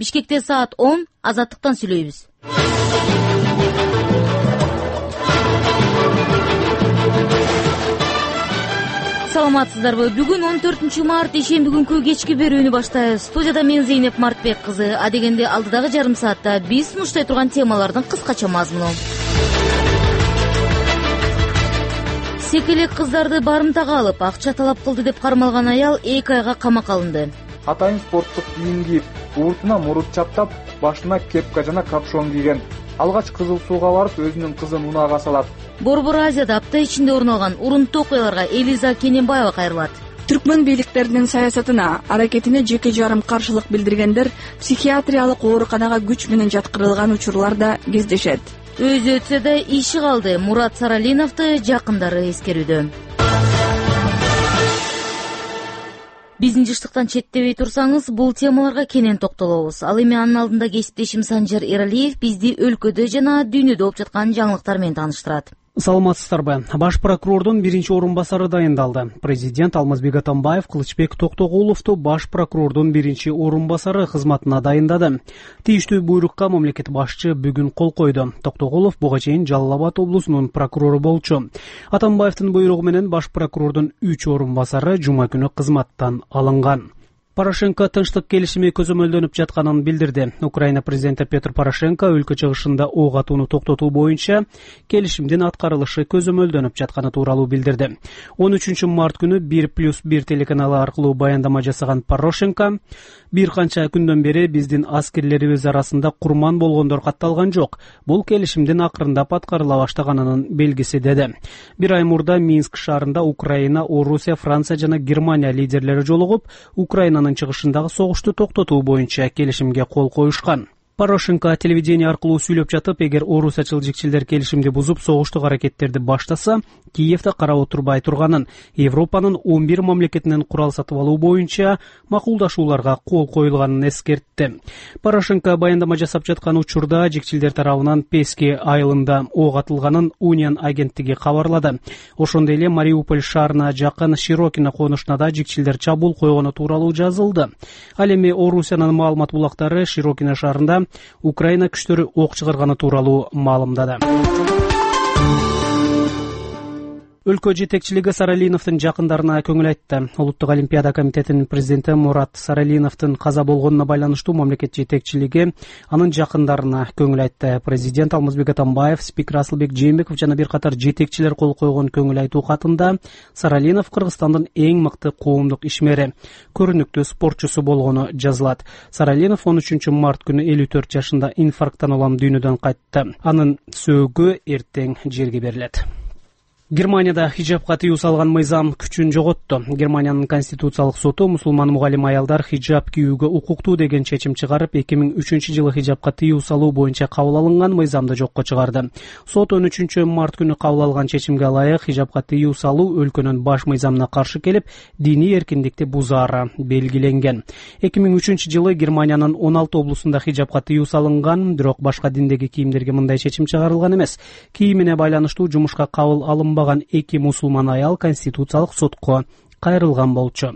Бишкекте саат 10. Азаттыктан сүйлөйбүз. Саламатсыздарбы? Бүгүн 14 март ишемби күнкү кечки берүүнү баштайбыз. Студияда мен Зейнеп Мартбек кызы. Адегенде алдыдагы жарым саатта биз сунуштай турган темалардын кыскача мазмуну. Секелек кыздарды барымтага алып, акча талап кылды деп кармалган аял 2 айга камакка алынды. Атайын спорттук кийим кийип, ууртуна мурут чаптап, башына кепка жана капшон кийген. Алгач Кызыл Сууга барып, өзүнүн кызын унаага салат. Борбор Азияда апта ичинде орун алган урунттуу окуяларга Элиза Кененбаева кайрылат. Түркмөн бийликтеринин саясатына, аракетине жеке жарым каршылык билдиргендер психиатриялык ооруканага күч менен жаткырылган учурлар да кездешет. Өзү өтсө да иши калды. Мурат Саралиновду жакындары эскерүүдө. Биздин жыштыктан четтебей турсаңыз, бул темаларга кенен токтолобуз. Ал эми анын алдында кесиптешим Санжар Эралиев бизди өлкөдө жана дүйнөдө болуп жаткан жаңылыктар менен тааныштырат. Саламатсыздарбы? Баш прокурордун 1-орунбасары дайындалды. Президент Алмазбек Атамбаев Кылычбек Токтогуловду баш прокурордун 1-орунбасары кызматына дайындады. Тийиштүү буйрукка мамлекет башчы бүгүн кол койду. Токтогулов буга чейин Жалал Абад облусунун прокурору болчу. Атамбаевдин буйругу менен баш прокурордун 3-орунбасары жума күнү кызматтан алынган. Порошенко тынчтык келишими көзөмөлдөнүп жатканын билдирди. Украина президенти Петр Порошенко өлкө чыгышында ок атууну токтотуу боюнча келишимдин аткарылышы көзөмөлдөнүп жатканы тууралуу билдирди. 13 март күнү 1+1 телеканалы аркылуу баяндама жасаган Порошенко бир канча күндөн бери биздин аскерлерибиз арасында курман болгондор катталган жок. Бул келишимдин акырындап аткарыла баштаганынын белгиси деди. Бир ай мурда Минск шаарында Украина, Орусия, Франция жана Германия лидерлери жолугуп, Украинанын чыгышындагы согушту токтотуу боюнча келишимге кол коюшкан. Порошенко телевидение аркылуу сүйлөп жатып, эгер орус чылжикчилдер келишимди бузуп согуштук аракеттерди баштаса, Киевде карап отурбай турганын, Европанын 11 мамлекетинен курал сатып алуу боюнча макулдашууларга кол коюлганын эскертти. Порошенко баяндама жасап жаткан учурда жикчилдер тарабынан Пески айылында ок атылганын Union агенттиги кабарлады. Ошондой эле Мариуполь шаарына жакын Широкино конушуна да жикчилдер чабуул койгону тууралуу жазылды. Ал эми Орусиянын маалымат булактары Широкино шаарында Украина күчтөрү ок чыгарганы тууралуу маалымдады. Өлкө жетекчилиги Саралиновдун жакындарына көңүл айтты. Улуттук олимпиада комитетинин президенти Мурат Саралиновдун каза болгонуна байланыштуу мамлекет жетекчилиги анын жакындарына көңүл айтты. Президент Алмазбек Атамбаев, спикер Асылбек Жээнбеков жана бир катар жетекчилер кол койгон көңүл айтуу катында Саралинов Кыргызстандын эң мыкты коомдук ишмери, көрүнүктүү спортчусу болгону жазылат. Саралинов 13 март күнү 54 жашында инфаркттан улам дүйнөдөн кайтты. Анын сөөгү эртең жерге берилет. Германияда хиджабка тыюу салган мыйзам күчүн жоготту. Германиянын конституциялык соту мусулман мугалим аялдар хиджаб кийүүгө укуктуу деген чечим чыгарып, 2003 жылы хиджабка тыюу салуу боюнча кабыл алынган мыйзамды жокко чыгарды. Сот 13 март күнү кабыл алган чечимге ылайык хиджабка тыюу салуу өлкөнүн баш мыйзамына каршы келип, диний эркиндикти бузаары белгиленген. 2003 жылы Германиянын 16 облусунда хиджабка тыюу салынган, бирок башка диндеги кийимдерге мындай чечим чыгарылган эмес. Кийимине байланыштуу жумушка кабыл алынбаган 2 мусулман аял конституциялык сотко кайрылган болчу.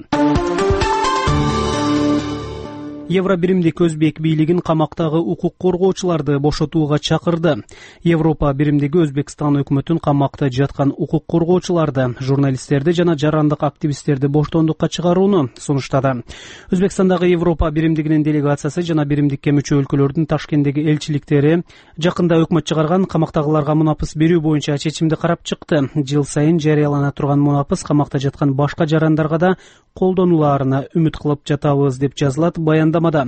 Евро биримдик Өзбек бийлигин камактагы укук коргоочуларды бошотууга чакырды. Европа биримдиги Өзбекстан өкмөтүн камакта жаткан укук коргоочуларды, журналисттерди жана жарандык активисттерди боштондукка чыгарууну сунуштады. Өзбекстандагы Европа биримдигинин делегациясы жана биримдикке мүчө өлкөлөрдүн Ташкенттеги элчиликтери жакында өкмөт чыгарган камактагыларга мунапыс берүү боюнча чечимди карап чыкты. Жыл сайын жарыялана турган мунапыс камакта жаткан башка жарандарга да колдонуларына үмүт кылып жатабыз деп жазылат баяндамада.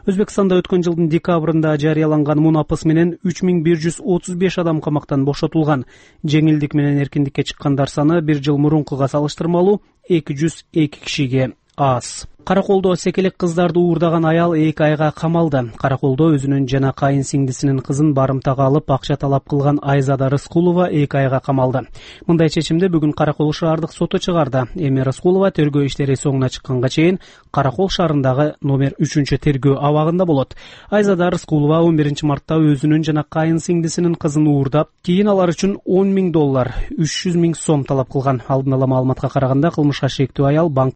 Өзбекстанда өткөн жылдын декабрында жарыяланган мунапыс менен 3135 адам камактан бошотулган. Жеңилдик менен эркиндикке чыккандар саны бир жыл мурункуга салыштырмалуу 202 кишиге аз. Караколдо секелек кыздарды уурдаган аял 2 айга камалды. Караколдо өзүнүн жана кайын сиңдисинин кызын барымтага алып акча талап кылган Айзада Рыскулова 2 айга камалды. Мындай чечимди бүгүн Каракол шаардык соту чыгарды. Эми Рыскулова тергөө иштери соңуна чыкканга чейин Каракол шаарындагы номер 3 тергөө абагында болот. Айзада Рыскулова 11 мартта өзүнүн жана кайын сиңдисинин кызын уурдап, кийин алар үчүн $10,000, 300,000 сом талап кылган. Алдын ала маалыматка караганда кылмышка шектүү аял банк